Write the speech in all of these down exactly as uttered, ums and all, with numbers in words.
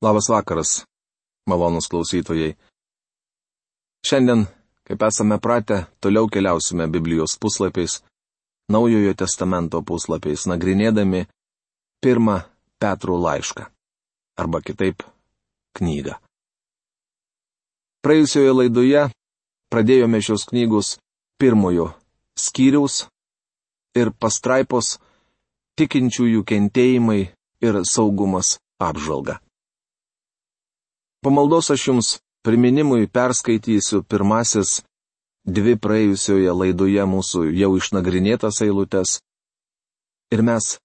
Labas vakaras, malonūs klausytojai. Šiandien, kaip esame pratę, toliau keliausime Biblijos puslapiais, Naujojo testamento puslapiais, nagrinėdami pirmą Petro laišką, arba kitaip knygą. Praėjusioje laidoje pradėjome šios knygos pirmojo skyriaus ir pastraipos tikinčiųjų kentėjimai ir saugumas apžvalgą. Po maldos aš jums priminimui perskaitysiu pirmasis dvi praėjusioje laidoje mūsų jau išnagrinėtas eilutes ir mes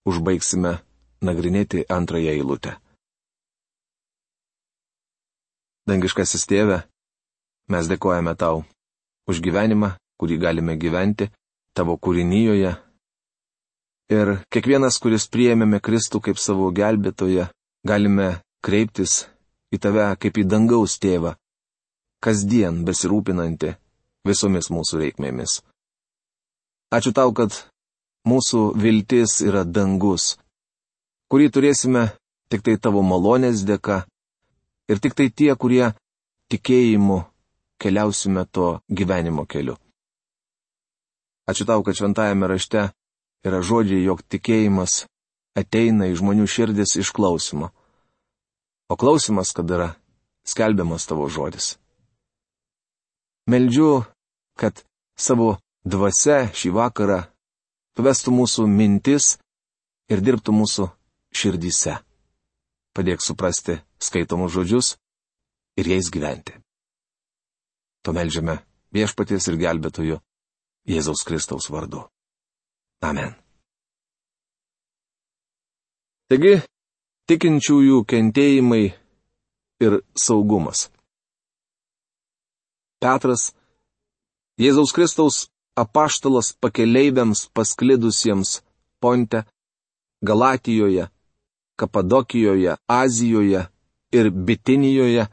užbaigsime nagrinėti antrąją eilutę. Dangiškasis Tėve, mes dėkojame tau už gyvenimą, kurį galime gyventi tavo kūrinyjoje. Ir kiekvienas, kuris priėmėme Kristų kaip savo gelbėtoją, galime kreiptis į tave kaip į dangaus tėvą, kasdien besirūpinantį visomis mūsų reikmėmis. Ačiū tau, kad mūsų viltis yra dangus, kurį turėsime tik tai tavo malonės dėka ir tik tai tie, kurie tikėjimu keliausime to gyvenimo keliu. Ačiū tau, kad šventajame rašte yra žodžiai, jog tikėjimas ateina į žmonių širdis iš klausimo. O klausimas, kad yra skelbiamas tavo žodis. Meldžiu, kad savo dvasia šį vakarą pavestų mūsų mintis ir dirbtų mūsų širdyse. Padėk suprasti skaitomus žodžius ir jais gyventi. To meldžiame Viešpaties ir gelbėtojo Jėzaus Kristaus vardu. Amen. Taigi, tikinčiųjų kentėjimai ir saugumas. Petras, Jėzaus Kristaus apaštalas pakeleiviams pasklidusiems Ponte, Galatijoje, Kapadokijoje, Azijoje ir Bitinijoje,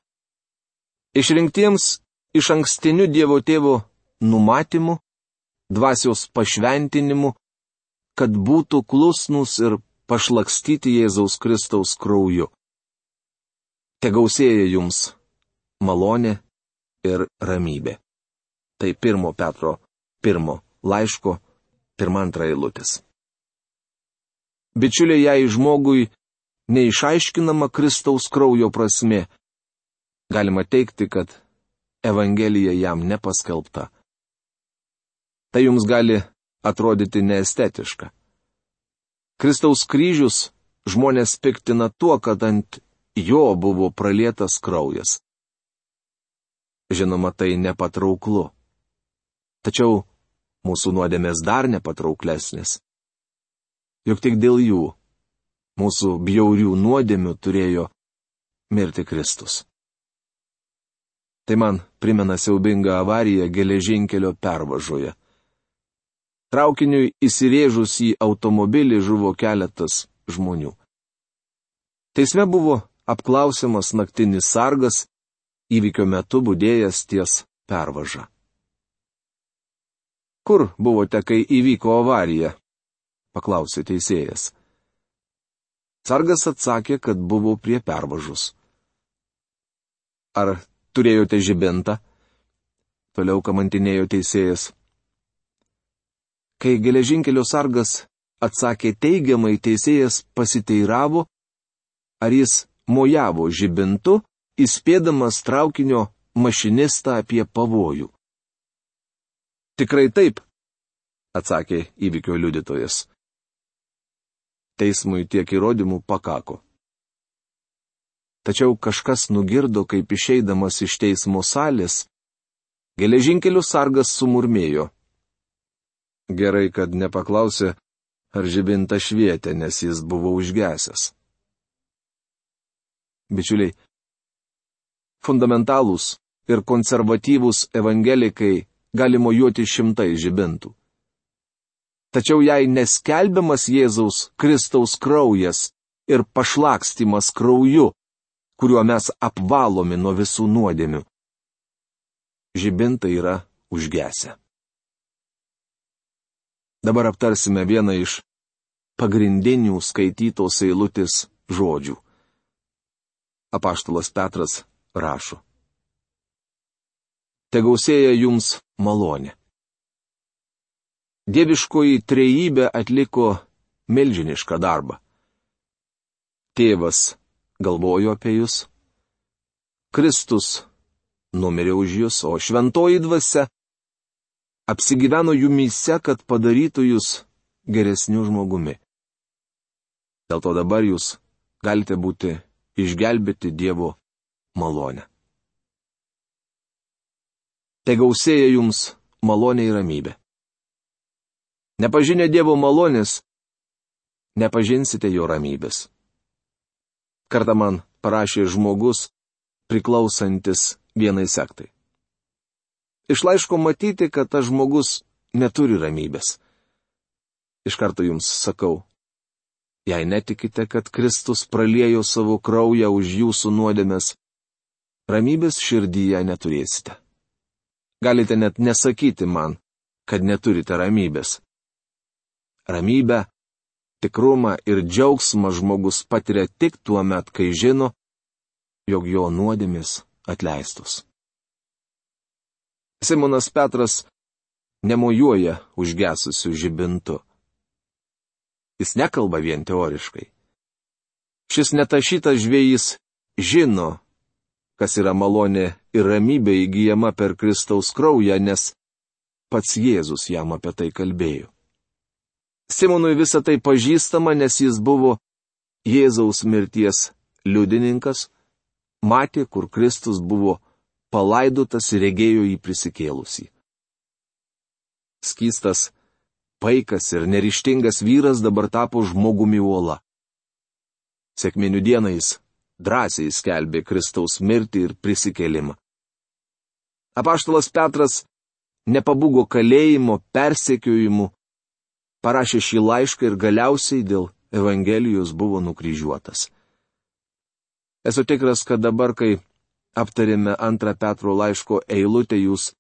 išrinktiems iš ankstiniu Dievo Tėvo numatymu, dvasios pašventinimu, kad būtų klusnūs ir pašlakstyti Jėzaus Kristaus krauju. Tegausėja jums malonė ir ramybė. Tai pirmo Petro pirmo laiško pirma antra eilutės. Bičiuliai, jei žmogui neišaiškinama Kristaus kraujo prasmė, galima teigti, kad Evangelija jam nepaskelbta. Tai jums gali atrodyti neestetiška. Kristaus kryžius žmonės piktina tuo, kad ant jo buvo pralietas kraujas. Žinoma, tai nepatrauklu. Tačiau mūsų nuodėmės dar nepatrauklesnės. Juk tik dėl jų, mūsų bjaurių nuodėmių turėjo mirti Kristus. Tai man primena siaubingą avariją geležinkelio pervažoje. Traukiniui įsirėžus į automobilį žuvo keletas žmonių. Teisme buvo apklausiamas naktinis sargas, įvykio metu budėjęs ties pervaža. Kur buvote, kai įvyko avarija? Paklausė teisėjas. Sargas atsakė, kad buvo prie pervažos. Ar turėjote žibintą? Toliau kamantinėjo teisėjas. Kai geležinkelio sargas atsakė teigiamai, teisėjas pasiteiravo, ar jis mojavo žibintu, įspėdamas traukinio mašinistą apie pavojų. Tikrai taip, atsakė įvykio liudytojas. Teismui tiek įrodymų pakako. Tačiau kažkas nugirdo, kaip išeidamas iš teismo salės, geležinkelio sargas sumurmėjo. Gerai, kad nepaklausė, ar žibinta švietė, nes jis buvo užgesęs. Bičiuliai, fundamentalūs ir konservatyvūs evangelikai gali mojuoti šimtai žibintų. Tačiau jei neskelbiamas Jėzaus Kristaus kraujas ir pašlakstymas krauju, kuriuo mes apvalomi nuo visų nuodėmių, žibintai yra užgesę. Dabar aptarsime vieną iš pagrindinių skaitytos eilutės žodžių. apaštalas Petras rašo. Tegausėja jums malonė. Dieviškoji trejybė atliko milžinišką darbą. Tėvas galvojo apie jūs, Kristus numirė už jūs, o šventoji dvasia apsigyveno jumyse, kad padarytų jūs geresniu žmogumi. Dėl to dabar jūs galite būti išgelbėti Dievo malonę. Tegausėja jums malonė ir ramybė. Nepažinę Dievo malonės, nepažinsite jo ramybės. Kartą man parašė žmogus, priklausantis vienai sektai. Iš laiško matyti, kad tas žmogus neturi ramybės. Iš karto jums sakau, jei netikite, kad Kristus praliejo savo kraują už jūsų nuodėmes, ramybės širdyje neturėsite. Galite net nesakyti man, kad neturite ramybės. Ramybę, tikrumą ir džiaugsmą žmogus patiria tik tuo met, kai žino, jog jo nuodėmės atleistos. Simonas Petras nemojuoja užgesusiu žibintu. Jis nekalba vien teoriškai. Šis netašytas žvejys žino, kas yra malonė ir ramybė įgyjama per Kristaus kraują, nes pats Jėzus jam apie tai kalbėjo. Simonui visą tai pažįstama, nes jis buvo Jėzaus mirties liudininkas, matė, kur Kristus buvo palaidotas ir regėjo jį prisikėlusį. Skystas, paikas ir neryžtingas vyras dabar tapo žmogumi uola. Sekminių dieną jis drąsiai skelbė Kristaus mirtį ir prisikėlimą. Apaštalas Petras nepabūgo kalėjimo, persekiojimų, parašė šį laišką ir galiausiai dėl Evangelijos buvo nukryžiuotas. Esu tikras, kad dabar, kai aptarėme antrą Petro laiško eilutę, jūs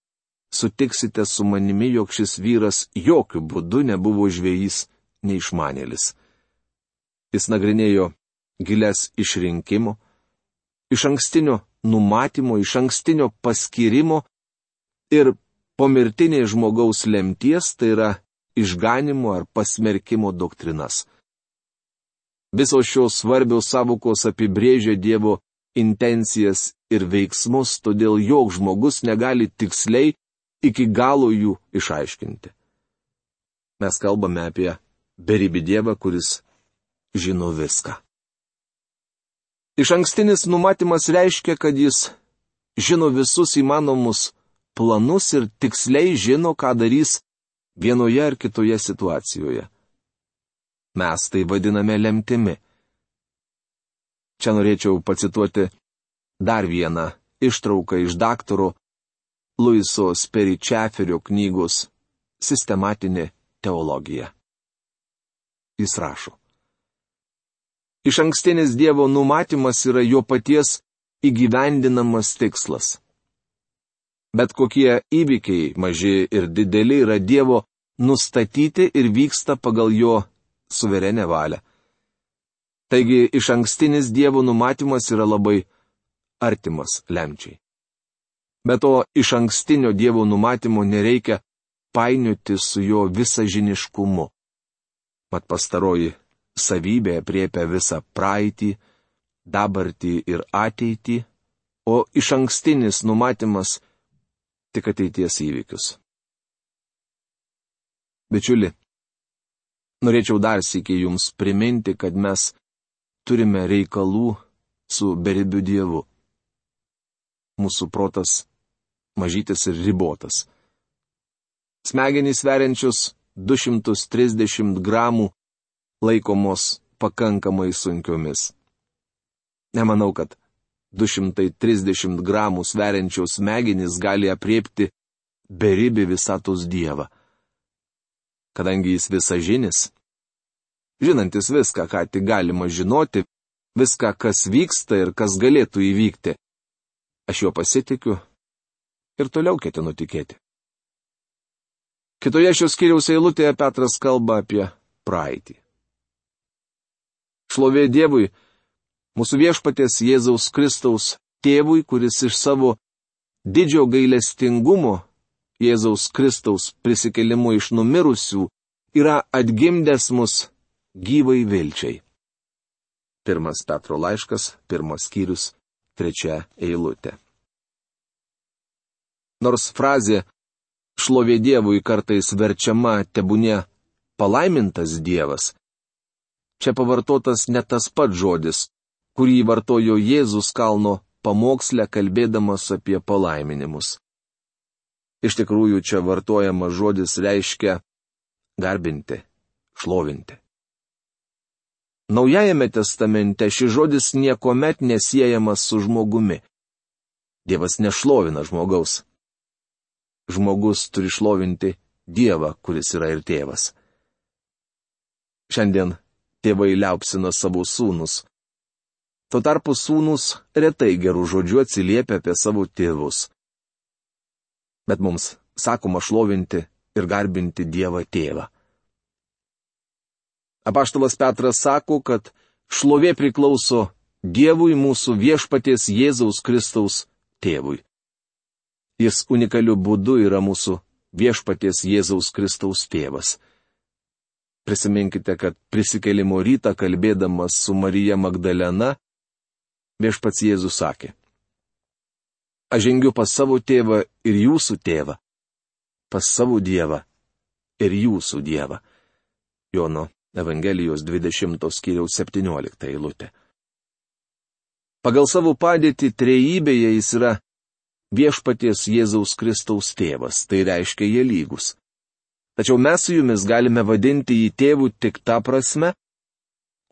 sutiksite su manimi, jog šis vyras jokių būdų nebuvo žvejys neišmanėlis. Jis nagrinėjo gilias išrinkimo, iš ankstinio numatymo, iš ankstinio paskyrimo ir pomirtinės žmogaus lemties, tai yra išganimo ar pasmerkimo doktrinas. Visos šios svarbios sąvokos apibrėžia Dievo intencijas ir veiksmus, todėl joks žmogus negali tiksliai iki galo jų išaiškinti. Mes kalbame apie beribį Dievą, kuris žino viską. Iš ankstinis numatymas reiškia, kad jis žino visus įmanomus planus ir tiksliai žino, ką darys vienoje ar kitoje situacijoje. Mes tai vadiname lemtimi. Čia norėčiau pacituoti dar vieną ištrauką iš daktaro Luiso Speričeferio knygos Sistematinė teologija. Jis rašo. Iš ankstinis Dievo numatymas yra jo paties įgyvendinamas tikslas. Bet kokie įvykiai, maži ir dideli, yra Dievo nustatyti ir vyksta pagal jo suverenę valią. Taigi iš ankstinis Dievo numatymas yra labai artimas lemčiai. Be to, iš ankstinio Dievo numatymo nereikia painioti su jo visažiniškumu. Mat pastaroji savybė apriepia visą praeitį, dabartį ir ateitį, o iš ankstinis numatymas tik ateities įvykius. Bičiuli, norėčiau dar sykį jums priminti, kad mes turime reikalų su beribiu Dievu. Mūsų protas mažytis ir ribotas. Smegenys sveriančios du šimtus trisdešimt gramų laikomos pakankamai sunkiomis. Nemanau, kad du šimtai trisdešimt gramų sveriančios smegenys gali apriepti beribį visatos Dievą. Kadangi jis visažinis, žinantis viską, ką tik galima žinoti, viską, kas vyksta ir kas galėtų įvykti, aš jo pasitikiu ir toliau ketinu tikėti. Kitoje šios skyriaus eilutėje Petras kalba apie praeitį. Šlovė Dievui, Mūsų viešpaties Jėzaus Kristaus tėvui, kuris iš savo didžio gailestingumo Jėzaus Kristaus prisikėlimu iš numirusių yra atgimdęs mus gyvai vilčiai. Pirmas Petro laiškas, pirmas skyrius, trečia eilutė. Nors frazė šlovė Dievui kartais verčiama tebūnie palaimintas Dievas, čia pavartotas ne tas pats žodis, kurį vartojo Jėzus kalno pamoksle kalbėdamas apie palaiminimus. Iš tikrųjų, čia vartojamas žodis reiškia garbinti, šlovinti. Naujajame testamente šis žodis niekuomet nesiejamas su žmogumi. Dievas nešlovina žmogaus. Žmogus turi šlovinti Dievą, kuris yra ir tėvas. Šiandien tėvai liaupsina savo sūnus. Tuo tarpu sūnus retai gerų žodžių atsiliepia apie savo tėvus. Bet mums sakoma šlovinti ir garbinti Dievą tėvą. Apaštalas Petras sako, kad šlovė priklauso Dievui mūsų viešpaties Jėzaus Kristaus tėvui. Jis unikaliu būdu yra mūsų viešpaties Jėzaus Kristaus tėvas. Prisiminkite, kad prisikėlimo rytą kalbėdamas su Marija Magdalena, viešpats Jėzus sakė: Aš žengiu pas savo tėvą ir jūsų tėvą, pas savo Dievą ir jūsų Dievą. Jono Evangelijos dvidešimtos skyriaus septyniolikta eilutė. Pagal savo padėtį trejybėje jis yra viešpaties Jėzaus Kristaus tėvas, tai reiškia jie lygus. Tačiau mes su jumis galime vadinti jį tėvu tik tą prasme,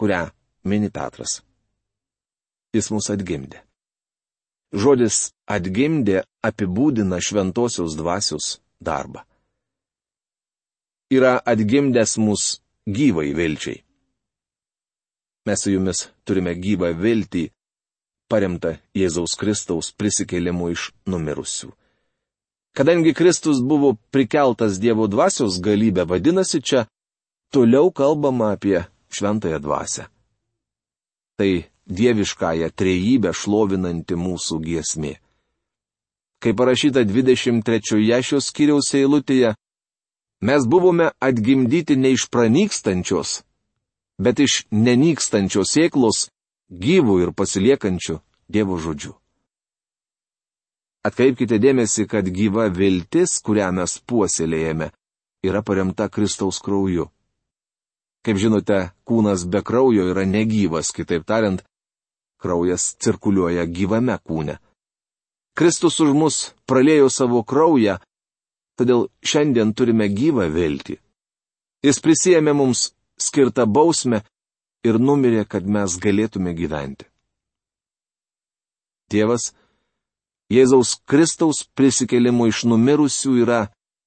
kurią mini Petras. Jis mus atgimdė. Žodis atgimdė apibūdina šventosios dvasios darbą. Yra atgimdęs mus gyvai vilčiai. Mes su jumis turime gyvą viltį, paremtą Jėzaus Kristaus prisikėlimu iš numirusių. Kadangi Kristus buvo prikeltas Dievo dvasios galybę, vadinasi, čia toliau kalbama apie šventąją dvasią. Tai dieviškąją trejybę šlovinanti mūsų giesmė. Kaip parašyta dvidešimt trečioje šios skyriaus eilutėje, mes buvome atgimdyti ne iš pranykstančios, bet iš nenykstančios sėklos, gyvų ir pasiliekančių Dievo žodžių. Atkreipkite dėmesį, kad gyva viltis, kurią mes puoselėjame, yra paremta Kristaus krauju. Kaip žinote, kūnas be kraujo yra negyvas, kitaip tariant, kraujas cirkuliuoja gyvame kūne. Kristus už mus praliejo savo kraują, todėl šiandien turime gyvą viltį. Jis prisėmė mums skirtą bausmę ir numirė, kad mes galėtume gyventi. Dievas Jėzaus Kristaus prisikėlimu iš numirusių yra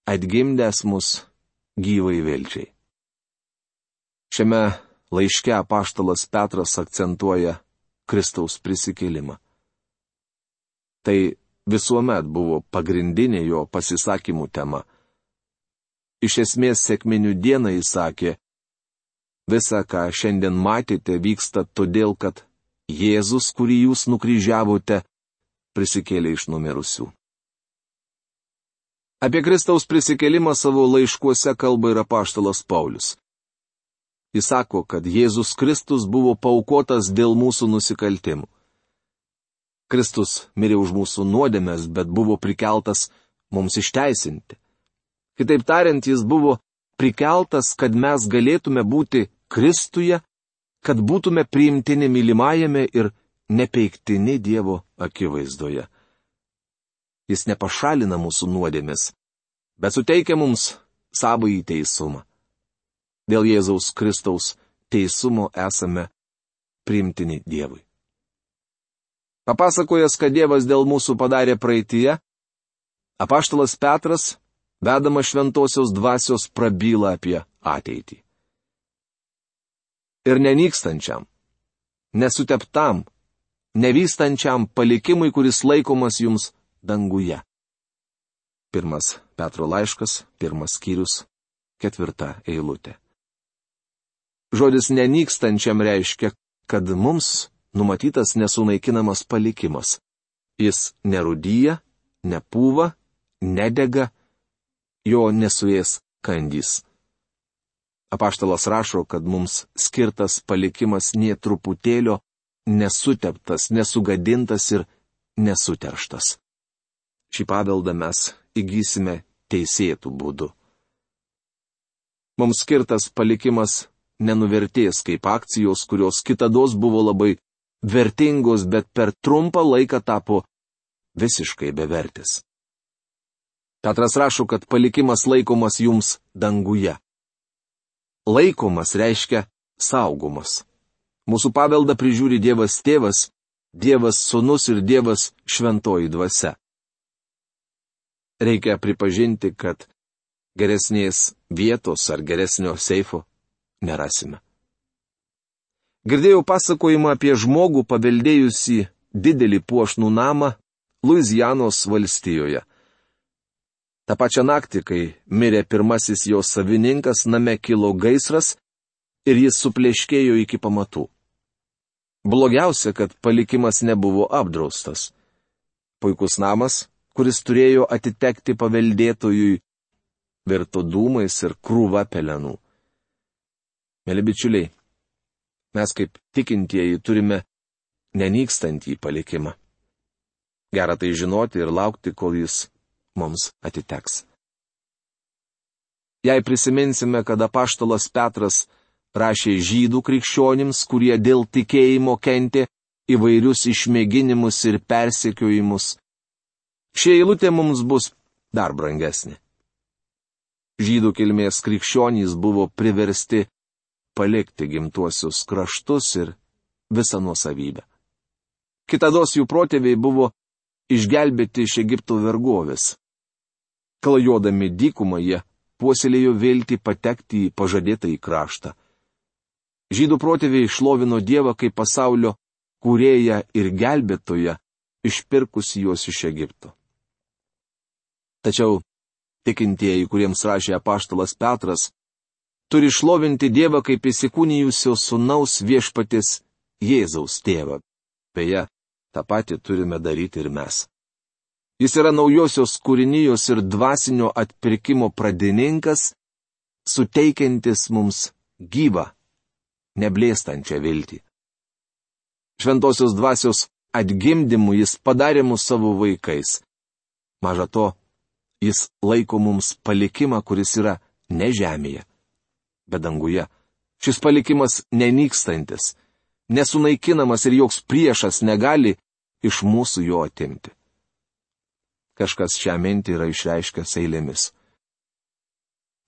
atgimdęs mus gyvai vilčiai. Šiame laiške apaštalas Petras akcentuoja Kristaus prisikėlimą. Tai visuomet buvo pagrindinė jo pasisakymų tema. Iš esmės sekminių dieną jis sakė: Visa, ką šiandien matėte, vyksta todėl, kad Jėzus, kurį jūs nukryžiavote, prisikėlė iš numirusių. Apie Kristaus prisikėlimą savo laiškuose kalba ir apaštalas Paulius. Jis sako, kad Jėzus Kristus buvo paaukotas dėl mūsų nusikaltimų. Kristus mirė už mūsų nuodėmes, bet buvo prikeltas mums išteisinti. Kitaip tariant, jis buvo prikeltas, kad mes galėtume būti Kristuje, kad būtume priimtini mylimajame ir nepeiktini Dievo akivaizdoje. Jis nepašalina mūsų nuodėmės, bet suteikia mums savąjį teisumą. Dėl Jėzaus Kristaus teisumo esame priimtini Dievui. Papasakojęs, kad Dievas dėl mūsų padarė praeityje, apaštalas Petras, vedamas šventosios dvasios, prabyla apie ateitį. Ir nenykstančiam, nesuteptam, nevystančiam palikimui, kuris laikomas jums danguje. Pirmas Petro laiškas, pirmas skyrius, ketvirta eilutė. Žodis nenykstančiam reiškia, kad mums numatytas nesunaikinamas palikimas. Jis nerūdyja, nepūva, nedega, jo nesuės kandys. Apaštalas rašo, kad mums skirtas palikimas nė truputėlio nesuteptas, nesugadintas ir nesuterštas. Šį paveldą mes įgysime teisėtų būdų. Mums skirtas palikimas nenuvertės kaip akcijos, kurios kitados buvo labai vertingos, bet per trumpą laiką tapo visiškai bevertis. Petras rašo, kad palikimas laikomas jums danguje. Laikomas reiškia saugomas. Mūsų paveldą prižiūri Dievas Tėvas, Dievas Sūnus ir Dievas Šventoji Dvasia. Reikia pripažinti, kad geresnės vietos ar geresnio seifo nerasime. Girdėjau pasakojimą apie žmogų paveldėjusi didelį puošnų namą Luizianos valstijoje. Ta pačia naktį, kai mirė pirmasis jo savininkas, name kilo gaisras ir jis supleškėjo iki pamatų. Blogiausia, kad palikimas nebuvo apdraustas. Puikus namas, kuris turėjo atitekti paveldėtojui, virto dūmais ir krūva pelenų. Mėly bičiuliai, mes kaip tikintieji turime nenykstantį palikimą. Gera tai žinoti ir laukti, kol jis mums atiteks. Jei prisiminsime, kad apaštalas Petras rašė žydų krikščionims, kurie dėl tikėjimo kentė įvairius išmėginimus ir persekiojimus, ši eilutė mums bus dar brangesnė. Žydų kilmės krikščionys buvo priversti palikti gimtuosius kraštus ir visą nuosavybę. Kitados jų protėviai buvo išgelbėti iš Egipto vergovės. Klajodami dykumą jie puoselėjo viltį patekti į pažadėtąjį kraštą. Žydų protėviai šlovino Dievą kaip pasaulio kūrėją ir gelbėtoją, išpirkusi juos iš Egipto. Tačiau tikintieji, kuriems rašė apaštalas Petras, turi šlovinti Dievą kaip įsikūnijusio sūnaus viešpaties Jėzaus tėvą. Beje, tą patį turime daryti ir mes. Jis yra naujosios kūrinijos ir dvasinio atpirkimo pradininkas, suteikiantis mums gyvą, neblėstančią viltį. Šventosios dvasios atgimdymu jis padarė mus savo vaikais. Maža to, jis laiko mums palikimą, kuris yra ne žemėje, bet danguje. Šis palikimas nenykstantis, nesunaikinamas ir joks priešas negali iš mūsų jo atimti. Kažkas šią mintį yra išreiškęs eilėmis.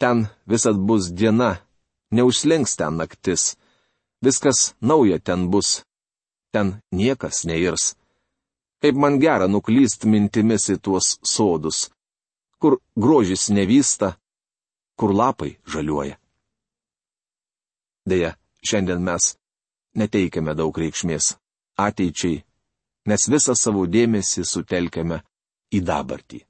Ten visad bus diena, neužslinks ten naktis. Viskas nauja ten bus, ten niekas neirs. Kaip man gera nuklyst mintimis į tuos sodus, kur grožis nevysta, kur lapai žaliuoja. Deja, šiandien mes neteikiame daug reikšmės ateičiai, nes visą savo dėmesį sutelkiame į dabartį.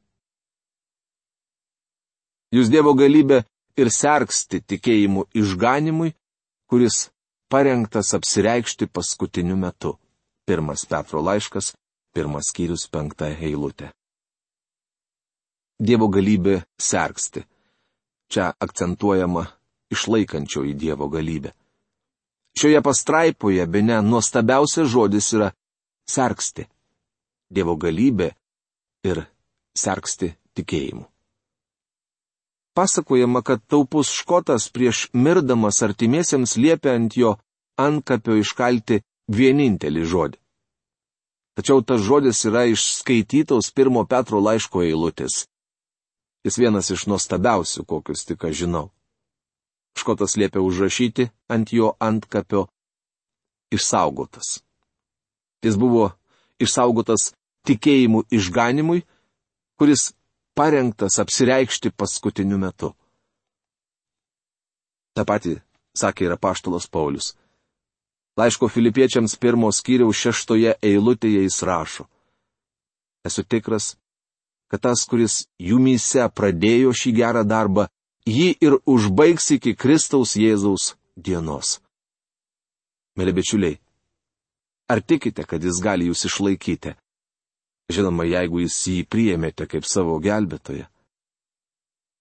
Jūs Dievo galybė ir sergsti tikėjimu išganimui, kuris parengtas apsireikšti paskutiniu metu. Pirmas Petro laiškas, pirmas skyrius, penkta eilutė. Dievo galybė sergsti. Čia akcentuojama išlaikančioji Dievo galybė. Šioje pastraipoje bene nuostabiausias žodis yra sergsti. Dievo galybė ir sergsti tikėjimu. Pasakojama, kad taupus škotas prieš mirdamas artimiesiems liepė ant jo antkapio iškalti vienintelį žodį. Tačiau tas žodis yra išskaitytos pirmo Petro laiško eilutės. Jis vienas iš nuostabiausių, kokius tik aš žinau. Škotas liepė užrašyti ant jo antkapio išsaugotas. Jis buvo išsaugotas tikėjimu išganimui, kuris parengtas apsireikšti paskutiniu metu. Ta pati sakė ir apaštalas Paulius. Laiško Filipiečiams pirmos skyriaus šeštoje eilutėje jis rašo: Esu tikras, kad tas, kuris jumyse pradėjo šį gerą darbą, jį ir užbaigs iki Kristaus Jėzaus dienos. Mėly bičiuliai, Ar tikite, kad jis gali jūs išlaikyti? Žinoma, jeigu jūs jį priėmėte kaip savo gelbėtoją.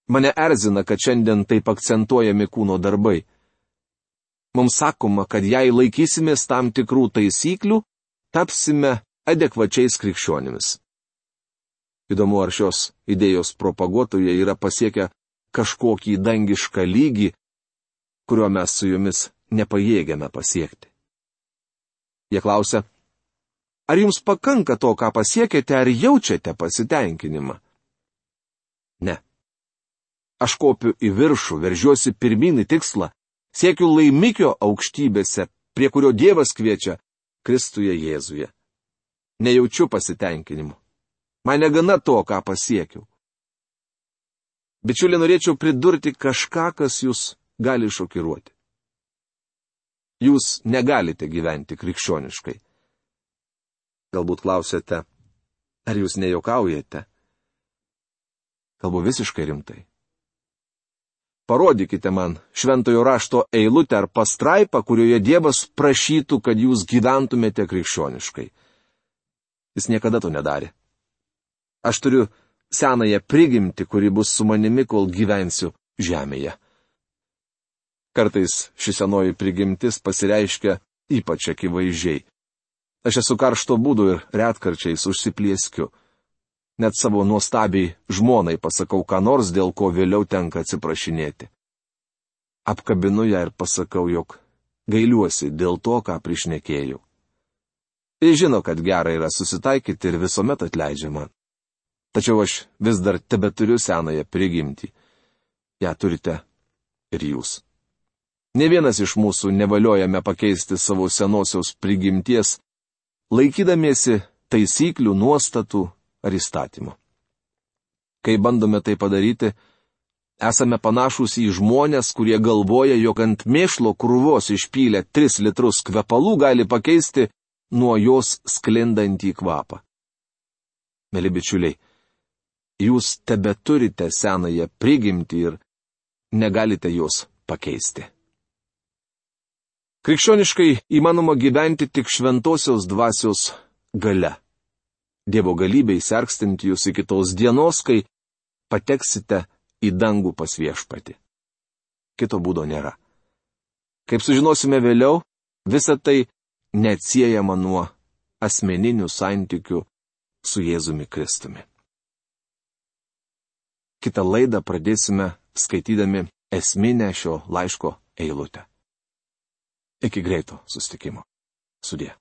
Mane erzina, kad šiandien taip akcentuojami kūno darbai. Mums sakoma, kad jei laikysimės tam tikrų taisyklių, tapsime adekvačiais krikščionimis. Įdomu, ar šios idėjos propaguotojai yra pasiekę kažkokį dangišką lygį, kurio mes su jumis nepajėgiame pasiekti. Jie klausia, ar jums pakanka to, ką pasiekėte, ar jaučiate pasitenkinimą? Ne. Aš kopiu į viršų, veržiuosi pirmin į tikslą, siekiu laimikio aukštybėse, prie kurio Dievas kviečia Kristuje Jėzuje. Nejaučiu pasitenkinimo. Man negana to, ką pasiekiau. Bičiuliai, norėčiau pridurti kažką, kas jūs gali šokiruoti. Jūs negalite gyventi krikščioniškai. Galbūt klausėte, ar jūs nejuokaujate? Kalbu visiškai rimtai. Parodykite man šventojo rašto eilutę ar pastraipą, kurioje Dievas prašytų, kad jūs gyventumėte krikščioniškai. Jis niekada to nedarė. Aš turiu senąją prigimtį, kuri bus su manimi, kol gyvensiu žemėje. Kartais ši senoji prigimtis pasireiškia ypač akivaizdžiai. Aš esu karšto būdų ir retkarčiais užsiplieskiu. Net savo nuostabiai žmonai pasakau ką nors, dėl ko vėliau tenka atsiprašinėti. Apkabinu ją ir pasakau, jog gailiuosi dėl to, ką prišnekėjau. Jis žino, kad gera yra susitaikyti ir visuomet atleidžia man. Tačiau aš vis dar tebeturiu senąją prigimtį. Ja turite ir jūs. Ne vienas iš mūsų nevaliojame pakeisti savo senosios prigimties, laikydamiesi taisyklių, nuostatų ar įstatymų. Kai bandome tai padaryti, esame panašūs į žmonės, kurie galvoja, jog ant mėšlo krūvos išpylę tris litrus kvepalų gali pakeisti nuo jos sklindantį kvapą. Mėly bičiuliai, jūs tebeturite senąją prigimtį ir negalite jos pakeisti. Krikščioniškai įmanoma gyventi tik šventosios dvasios galia. Dievo galybei sergstinti jūs iki tos dienos, kai pateksite į dangų pas viešpatį. Kito būdo nėra. Kaip sužinosime vėliau, visa tai neatsiejama nuo asmeninių santykių su Jėzumi Kristumi. Kitą laidą pradėsime skaitydami esminę šio laiško eilutę. Iki greito susitikimo. Sudie.